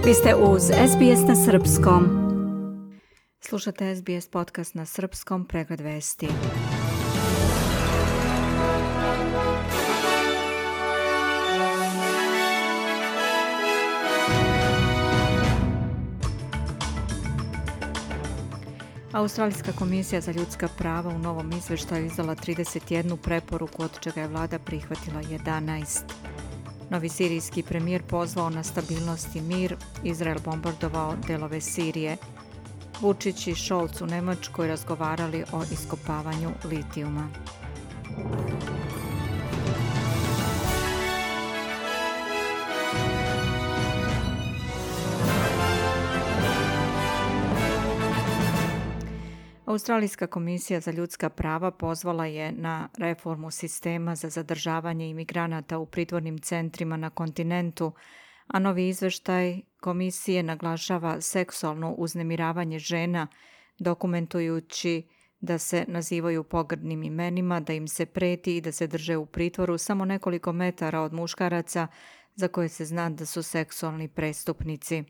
Vi ste uz SBS na srpskom. Slušate SBS podcast na srpskom, pregled vesti. Australijska komisija za ljudska prava u novom izveštaju izdala 31 preporuku, od čega je vlada prihvatila 11. Novi sirijski premijer pozvao na stabilnost i mir, Izrael bombardovao delove Sirije. Vučić i Scholz u Nemačkoj razgovarali o iskopavanju litijuma. Australijska komisija za ljudska prava pozvala je na reformu sistema za zadržavanje imigranata u pritvornim centrima na kontinentu, a novi izveštaj komisije naglašava seksualno uznemiravanje žena, dokumentujući da se nazivaju pogrdnim imenima, da im se preti i da se drže u pritvoru samo nekoliko metara od muškaraca za koje se zna da su seksualni prestupnici.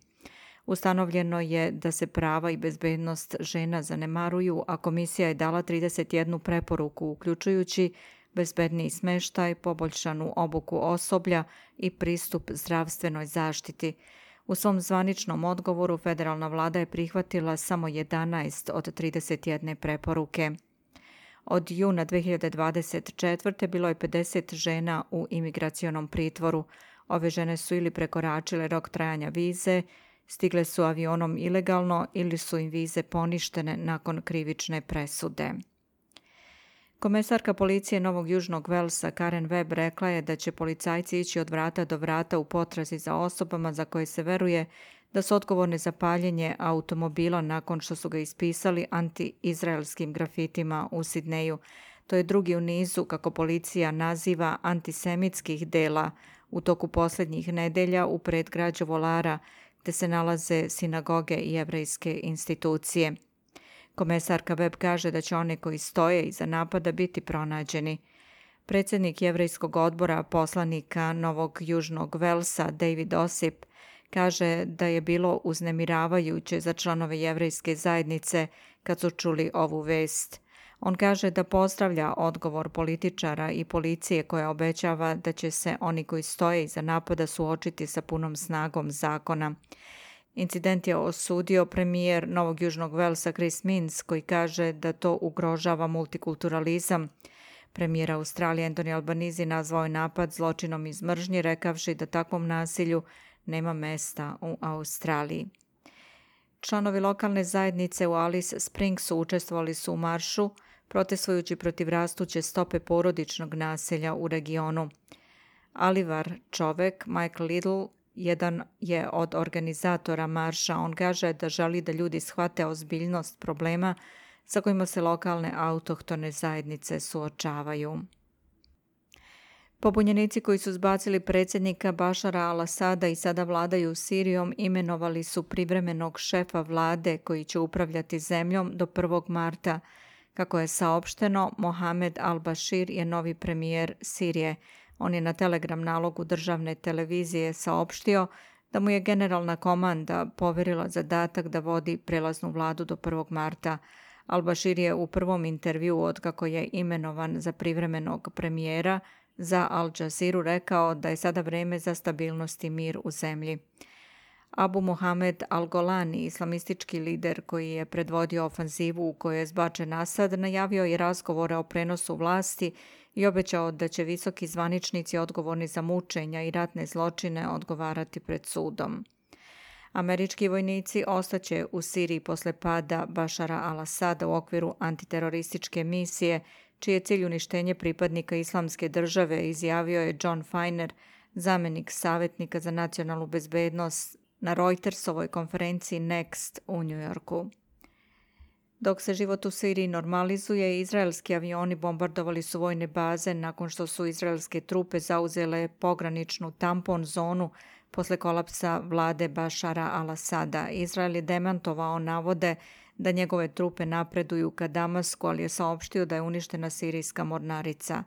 Ustanovljeno je da se prava i bezbednost žena zanemaruju, a komisija je dala 31 preporuku, uključujući bezbedniji smeštaj, poboljšanu obuku osoblja i pristup zdravstvenoj zaštiti. U svom zvaničnom odgovoru federalna vlada je prihvatila samo 11 od 31 preporuke. Od juna 2024. bilo je 50 žena u imigracionom pritvoru. Ove žene su ili prekoračile rok trajanja vize, stigle su avionom ilegalno ili su im vize poništene nakon krivične presude. Komesarka policije Novog Južnog Velsa Karen Webb rekla je da će policajci ići od vrata do vrata u potrazi za osobama za koje se veruje da su odgovorne za paljenje automobila nakon što su ga ispisali anti-izraelskim grafitima u Sidneju. To je drugi u nizu, kako policija naziva, antisemitskih dela u toku posljednjih nedelja u predgrađu Volara, gde se nalaze sinagoge i jevrejske institucije. Komesarka Webb kaže da će one koji stoje iza napada biti pronađeni. Predsjednik jevrejskog odbora poslanika Novog Južnog Velsa David Osip kaže da je bilo uznemiravajuće za članove jevrejske zajednice kad su čuli ovu vest. On kaže da pozdravlja odgovor političara i policije koja obećava da će se oni koji stoje iza napada suočiti sa punom snagom zakona. Incident je osudio premijer Novog Južnog Velsa Chris Minns, koji kaže da to ugrožava multikulturalizam. Premijer Australije Anthony Albanese nazvao je napad zločinom iz mržnje, rekavši da takvom nasilju nema mesta u Australiji. Članovi lokalne zajednice u Alice Springsu učestvovali su u maršu, protestujući protiv rastuće stope porodičnog nasilja u regionu. Alivar čovek, Michael Little, jedan je od organizatora marša. On kaže da želi da ljudi shvate ozbiljnost problema sa kojima se lokalne autohtone zajednice suočavaju. Pobunjenici koji su zbacili predsjednika Bašara al-Asada i sada vladaju Sirijom imenovali su privremenog šefa vlade koji će upravljati zemljom do 1. marta. Kako je saopšteno, Mohamed al-Bashir je novi premijer Sirije. On je na Telegram nalogu državne televizije saopštio da mu je generalna komanda poverila zadatak da vodi prelaznu vladu do 1. marta. Al-Bashir je u prvom intervjuu otkako je imenovan za privremenog premijera za Al Jazeera rekao da je sada vreme za stabilnost i mir u zemlji. Abu Mohamed al-Golani, islamistički lider koji je predvodio ofanzivu u kojoj je zbačen Asad, najavio je razgovore o prenosu vlasti i obećao da će visoki zvaničnici odgovorni za mučenja i ratne zločine odgovarati pred sudom. Američki vojnici ostaće u Siriji posle pada Bašara al-Asada u okviru antiterorističke misije, čiji je cilj uništenje pripadnika Islamske države, izjavio je John Feiner, zamjenik savjetnika za nacionalnu bezbednost na Reutersovoj konferenciji Next u Njujorku. Dok se život u Siriji normalizuje, izraelski avioni bombardovali su vojne baze nakon što su izraelske trupe zauzele pograničnu tampon zonu posle kolapsa vlade Bašara al-Asada. Izrael je demantovao navode da njegove trupe napreduju ka Damasku, ali je saopštio da je uništena sirijska mornarica.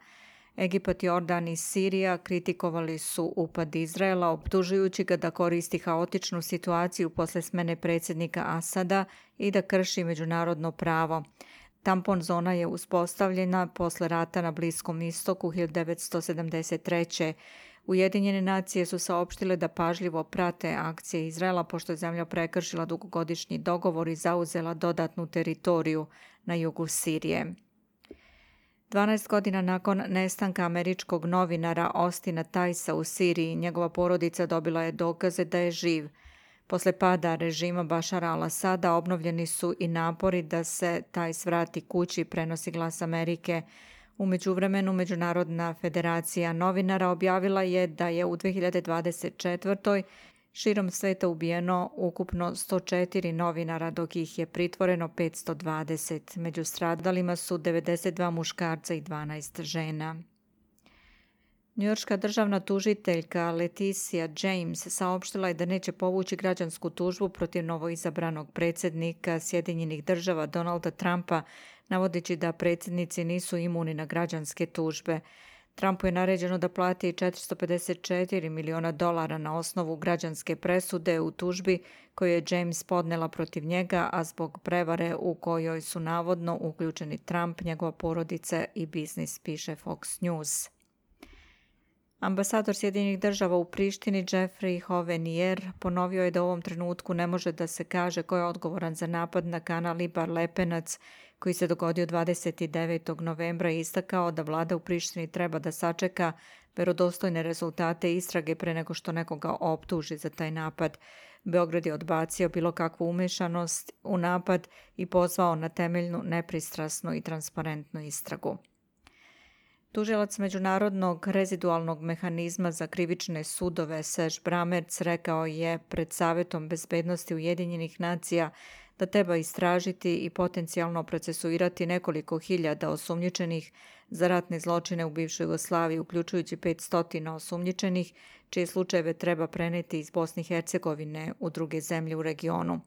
Egipat, Jordan i Sirija kritikovali su upad Izraela, optužujući ga da koristi haotičnu situaciju posle smene predsjednika Asada i da krši međunarodno pravo. Tampon zona je uspostavljena posle rata na Bliskom istoku 1973. Ujedinjene nacije su saopštile da pažljivo prate akcije Izraela pošto je zemlja prekršila dugogodišnji dogovor i zauzela dodatnu teritoriju na jugu Sirije. 12 godina nakon nestanka američkog novinara Austina Tice'a u Siriji, njegova porodica dobila je dokaze da je živ. Posle pada režima Bašara al-Asada obnovljeni su i napori da se Tice vrati kući, prenosi Glas Amerike. U međuvremenu Međunarodna federacija novinara objavila je da je u 2024. širom sveta ubijeno ukupno 104 novinara, dok ih je pritvoreno 520. Među stradalima su 92 muškarca i 12 žena. Njujorška državna tužiteljka Leticia James saopštila je da neće povući građansku tužbu protiv novoizabranog predsjednika Sjedinjenih Država Donalda Trumpa, navodeći da predsjednici nisu imuni na građanske tužbe. Trumpu je naređeno da plati $454 miliona na osnovu građanske presude u tužbi koju je James podnela protiv njega, a zbog prevare u kojoj su navodno uključeni Trump, njegova porodica i biznis, piše Fox News. Ambasador Sjedinjenih Država u Prištini Jeffrey Hovenier ponovio je da u ovom trenutku ne može da se kaže ko je odgovoran za napad na kanal Ibar Lepenac koji se dogodio 29. novembra i istakao da vlada u Prištini treba da sačeka verodostojne rezultate istrage pre nego što nekoga optuži za taj napad. Beograd je odbacio bilo kakvu umešanost u napad i pozvao na temeljnu, nepristrasnu i transparentnu istragu. Tužilac Međunarodnog rezidualnog mehanizma za krivične sudove Serge Bramertz rekao je pred Savetom bezbednosti Ujedinjenih nacija da treba istražiti i potencijalno procesuirati nekoliko hiljada osumnjičenih za ratne zločine u bivšoj Jugoslaviji, uključujući 500 osumnjičenih, čije slučajeve treba preneti iz Bosne i Hercegovine u druge zemlje u regionu.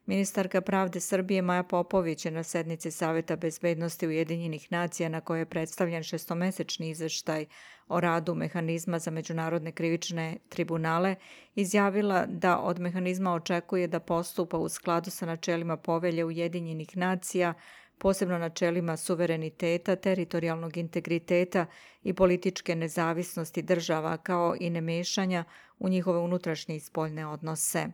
Ministarka pravde Srbije Maja Popović je na sednici Saveta bezbednosti Ujedinjenih nacija na kojoj je predstavljen šestomesečni izveštaj o radu mehanizma za međunarodne krivične tribunale izjavila da od mehanizma očekuje da postupa u skladu sa načelima Povelje Ujedinjenih nacija, posebno načelima suvereniteta, teritorijalnog integriteta i političke nezavisnosti država, kao i nemešanja u njihove unutrašnje i spoljne odnose.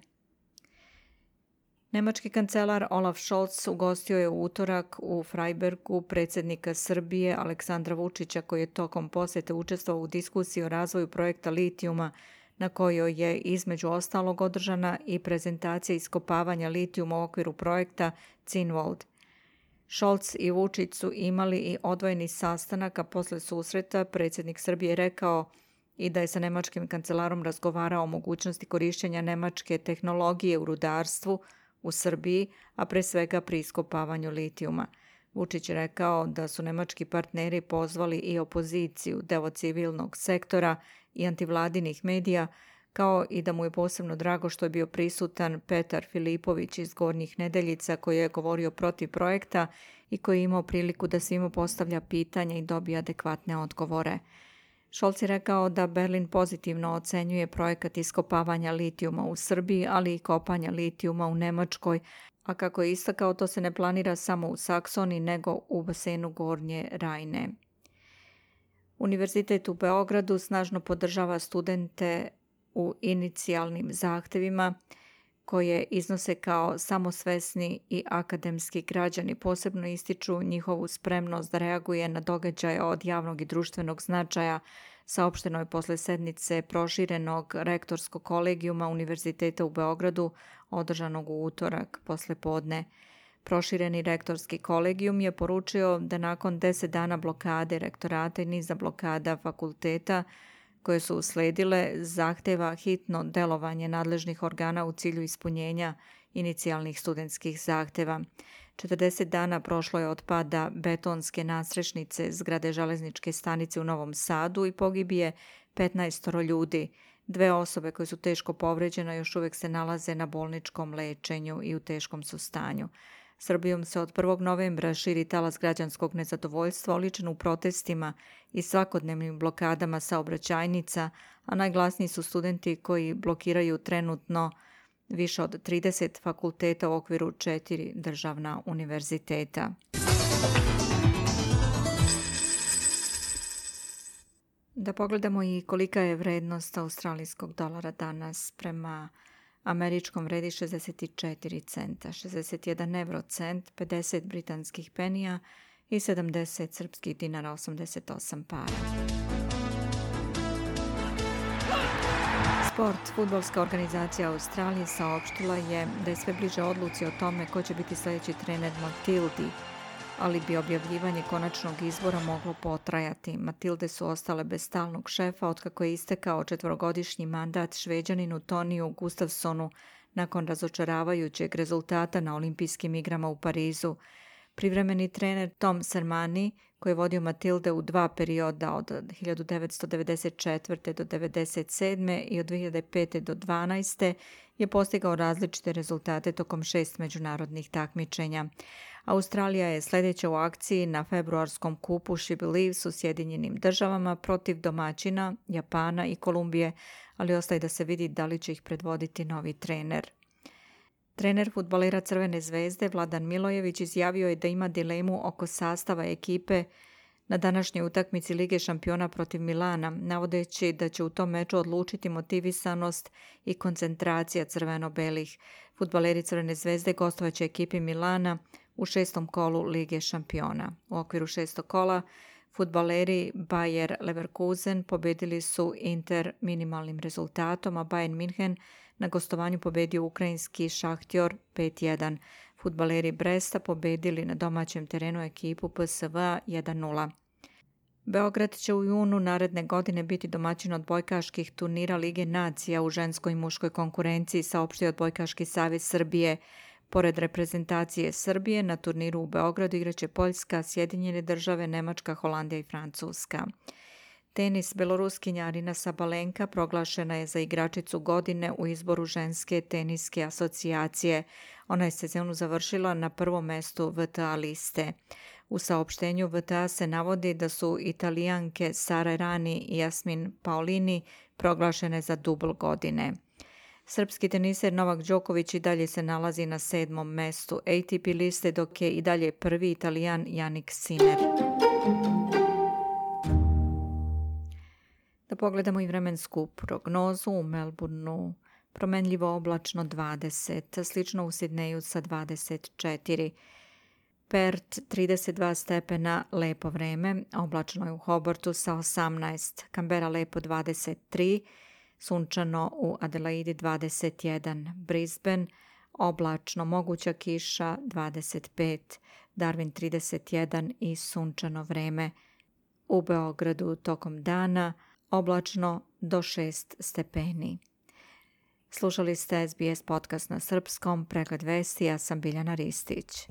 Nemački kancelar Olaf Scholz ugostio je u utorak u Freibergu predsjednika Srbije Aleksandra Vučića, koji je tokom posjete učestvovao u diskusiji o razvoju projekta litijuma, na kojoj je između ostalog održana i prezentacija iskopavanja litijuma u okviru projekta Zinwald. Scholz i Vučić su imali i odvojeni sastanak, a posle susreta predsjednik Srbije rekao i da je sa nemačkim kancelarom razgovarao o mogućnosti korištenja nemačke tehnologije u rudarstvu u Srbiji, a pre svega pri iskopavanju litijuma. Vučić je rekao da su nemački partneri pozvali i opoziciju, deo civilnog sektora i antivladinih medija, kao i da mu je posebno drago što je bio prisutan Petar Filipović iz Gornjih Nedeljica, koji je govorio protiv projekta i koji je imao priliku da svima postavlja pitanja i dobije adekvatne odgovore. Scholz je rekao da Berlin pozitivno ocenjuje projekat iskopavanja litijuma u Srbiji, ali i kopanja litijuma u Nemačkoj, a kako je istakao, to se ne planira samo u Saksoniji, nego u basenu Gornje Rajne. Univerzitet u Beogradu snažno podržava studente u inicijalnim zahtevima koje iznose kao samosvesni i akademski građani. Posebno ističu njihovu spremnost da reaguje na događaje od javnog i društvenog značaja, saopšteno je posle sednice proširenog rektorskog kolegijuma Univerziteta u Beogradu, održanog u utorak posle podne. Prošireni rektorski kolegijum je poručio da nakon 10 dana blokade rektorata i niza blokada fakulteta koje su usledile, zahteva hitno delovanje nadležnih organa u cilju ispunjenja inicijalnih studentskih zahteva. 40 dana prošlo je od pada betonske nadstrešnice zgrade železničke stanice u Novom Sadu i pogibije 15 ljudi. 2 osobe koje su teško povređene još uvijek se nalaze na bolničkom lečenju i u teškom su stanju. Srbijom se od 1. novembra širi talas građanskog nezadovoljstva oličen u protestima i svakodnevnim blokadama saobraćajnica, a najglasniji su studenti koji blokiraju trenutno više od 30 fakulteta u okviru 4 državna univerziteta. Da pogledamo i kolika je vrednost australijskog dolara danas. Prema američkom vredi 64 centa, 61 eurocent, 50 britanskih penija i 70 srpskih dinara, 88 para. Sport. Fudbalska organizacija Australije saopštila je da je sve bliže odluci o tome ko će biti sljedeći trener Matildi, ali bi objavljivanje konačnog izbora moglo potrajati. Matilde su ostale bez stalnog šefa otkako je istekao 4-godišnji mandat Šveđaninu Toniju Gustafsonu nakon razočaravajućeg rezultata na olimpijskim igrama u Parizu. Privremeni trener Tom Sermanni, koji je vodio Matilde u 2 perioda od 1994. do 1997. i od 2005. do 2012. je postigao različite rezultate tokom 6 međunarodnih takmičenja. Australija je sljedeća u akciji na februarskom kupu She Believes u Sjedinjenim državama protiv domaćina, Japana i Kolumbije, ali ostaje da se vidi da li će ih predvoditi novi trener. Trener fudbalera Crvene zvezde Vladan Milojević izjavio je da ima dilemu oko sastava ekipe na današnjoj utakmici Lige šampiona protiv Milana, navodeći da će u tom meču odlučiti motivisanost i koncentracija crveno-belih. Fudbaleri Crvene zvezde gostovaće ekipi Milana u 6. kolu Lige šampiona. U okviru 6. kola fudbaleri Bayer Leverkusen pobedili su Inter minimalnim rezultatom, a Bayern München na gostovanju pobedio ukrajinski Šahtjor 5-1. Fudbaleri Bresta pobedili na domaćem terenu ekipu PSV 1-0. Beograd će u junu naredne godine biti domaćin odbojkaških turnira Lige nacija u ženskoj i muškoj konkurenciji, saopštio Odbojkaški savez Srbije. Pored reprezentacije Srbije, na turniru u Beogradu igraće Poljska, Sjedinjene države, Nemačka, Holandija i Francuska. Tenis. Beloruskinja Arina Sabalenka proglašena je za igračicu godine u izboru ženske teniske asocijacije. Ona je sezonu završila na prvom mestu VTA liste. U saopštenju VTA se navodi da su Italijanke Sara Errani i Jasmin Paolini proglašene za dubl godine. Srpski teniser Novak Đoković i dalje se nalazi na 7. mestu ATP liste, dok je i dalje prvi Italijan Jannik Sinner. Da pogledamo i vremensku prognozu. U Melbourneu promenljivo oblačno 20, slično u Sidneju sa 24. Perth 32 stepena, lepo vreme, oblačno je u Hobartu sa 18. Canberra lepo 23, sunčano u Adelaidi 21. Brisbane oblačno, moguća kiša 25. Darwin 31 i sunčano vreme. U Beogradu tokom dana oblačno do 6 stepeni. Slušali ste SBS podcast na srpskom, pregled vesti, ja sam Biljana Ristić.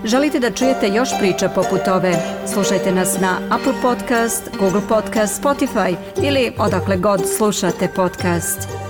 Želite da čujete još priča poput ove? Slušajte nas na Apple Podcast, Google Podcast, Spotify ili odakle god slušate podcast.